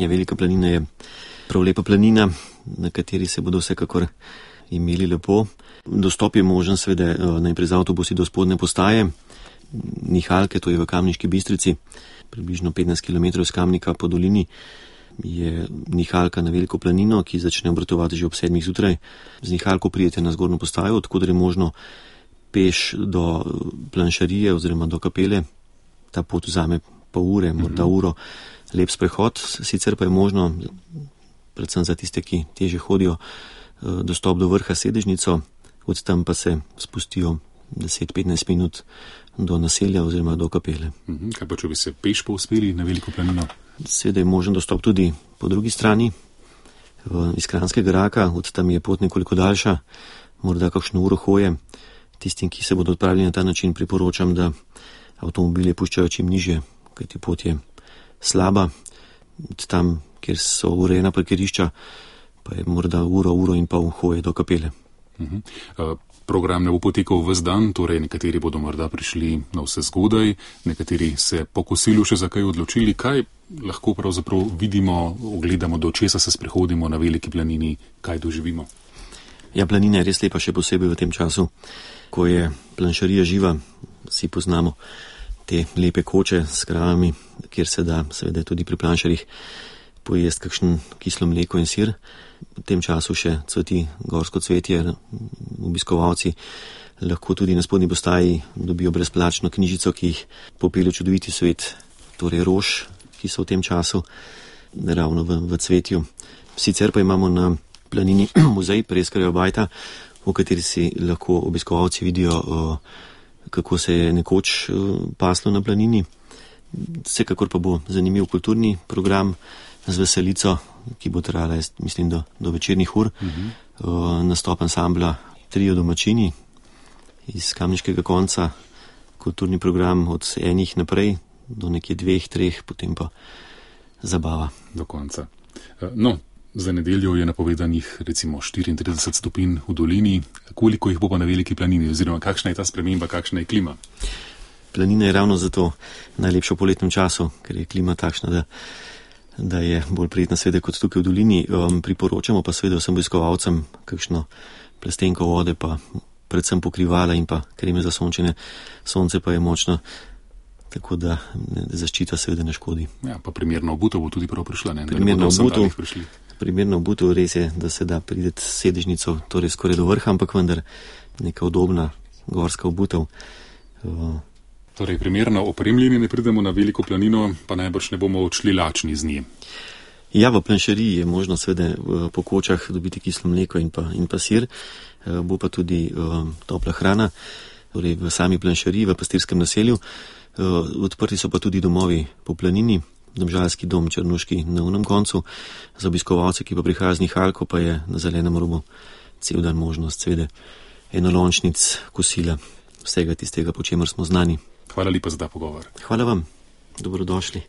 Ja, Velika planina je prav lepa planina, na kateri se bodo vsekakor imeli lepo. Dostop je možen seveda najprej z avtobusi do spodnje postaje Nihalke, to je v Kamniški Bistrici, približno 15 km z Kamnika po dolini je Nihalka na Veliko planino, ki začne obratovati že ob 7 zjutraj. Z Nihalko pridete na zgornjo postajo, odkud je možno peš do planšarije oziroma do kapele. Ta pot vzame pol ure, morda uro, lep sprehod, sicer pa je možno, predvsem za tiste, ki teže hodijo, dostop do vrha Sedežnico, od tam pa se spustijo 10-15 minut do naselja oziroma do kapele. Kaj pa, če bi se peš povzpeli na Veliko planino? Seveda je možen dostop tudi po drugi strani, iz Kranjskega Raka, od tam je pot nekoliko daljša, morda kakšno uro hoje. Tistim, ki se bodo odpravili na ta način, priporočam, da avtomobile puščajo čim nižje, kajti pot je slaba. Od tam, kjer so urejena parkirišča, pa je morda uro in pol hoje do kapele. Program ne bo potekal ves dan, torej nekateri bodo morda prišli na vse zgodaj, nekateri se po kosilu še za kaj odločili. Kaj lahko pravzaprav vidimo, ogledamo, do česa se sprehodimo na Veliki planini, kaj doživimo? Ja, planina je res lepa, še posebej v tem času, ko je planšarija živa. Vsi poznamo te lepe koče s kravami, kjer se da seveda tudi pri planšarjih pojesti kakšen kislo mleko in sir. V tem času še cveti gorsko cvetje, obiskovalci lahko tudi na spodnji postaji dobijo brezplačno knjižico, ki jih popelje čudoviti svet, torej rož, ki so v tem času ravno v cvetju. Sicer pa imamo na planini muzej Preskarjeva bajta, v kateri si lahko obiskovalci vidijo, kako se je nekoč paslo na planini. Vsekakor pa bo zanimiv kulturni program z veselico, ki bo trajala, mislim, do večernih ur. Nastop ansambla Trio domačini iz Kamniškega konca, kulturni program od 1 naprej do nekje 2-3, potem pa zabava. Do konca. No, za nedeljo je napovedanih recimo 34 stopinj v dolini. Koliko jih bo pa na Veliki planini, oziroma kakšna je ta sprememba, kakšna je klima? Planina je ravno zato najlepša v poletnem času, ker je klima takšna, da je bolj prijetna seveda kot tukaj v dolini. Priporočamo pa seveda vsem obiskovalcem kakšno plastenko vode, pa predvsem pokrivala in pa kreme za sončenje. Sonce pa je močno, tako da zaščita seveda ne škodi. Ja, pa primerno obutev bo tudi prav prišla, ne? Primerno obutev, res je, da se da prideti s Sedežnico, torej skoraj do vrha, ampak vendar neka udobna gorska obutev. Torej, primerno opremljeni ne pridemo na Veliko planino, pa najbrž ne bomo odšli lačni z nje. Ja, v planšariji je možno seveda po kočah dobiti kislo mleko in pa sir, bo pa tudi topla hrana, torej v sami planšariji, v pastirskem naselju. Odprti so pa tudi domovi po planini, Domžalski dom, Črnuški na unem koncu. Za obiskovalce, ki pa prihajajo z Nihalko, pa je na zelenem robu cel dan možnost seveda enolončnic, kosila, vsega tistega, po čemer smo znani. Hvala lepa za ta pogovor. Hvala vam, dobrodošli.